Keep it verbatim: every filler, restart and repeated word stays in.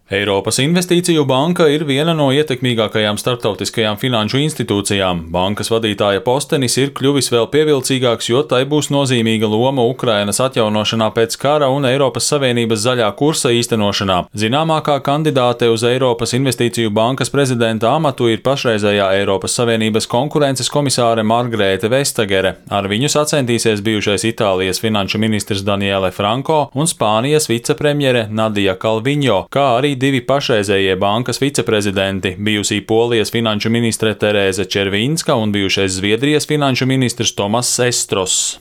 Eiropas Investīciju banka ir viena no ietekmīgākajām starptautiskajām finanšu institūcijām. Bankas vadītāja postenis ir kļuvis vēl pievilcīgāks, jo tai būs nozīmīga loma Ukrainas atjaunošanā pēc kara un Eiropas Savienības zaļā kursa īstenošanā. Zināmākā kandidāte uz Eiropas Investīciju bankas prezidenta amatu ir pašreizējā Eiropas Savienības konkurences komisāre Margrēte Vestagere. Ar viņu sacentīsies bijušais Itālijas finanšu ministrs Daniele Franco un Spānijas vicepremjere Nadia Calviņo, kā arī divi pašreizējie bankas viceprezidenti, bijusī Polijas finanšu ministre Terēze Červīnska un bijušais Zviedrijas finanšu ministrs Tomas Estros.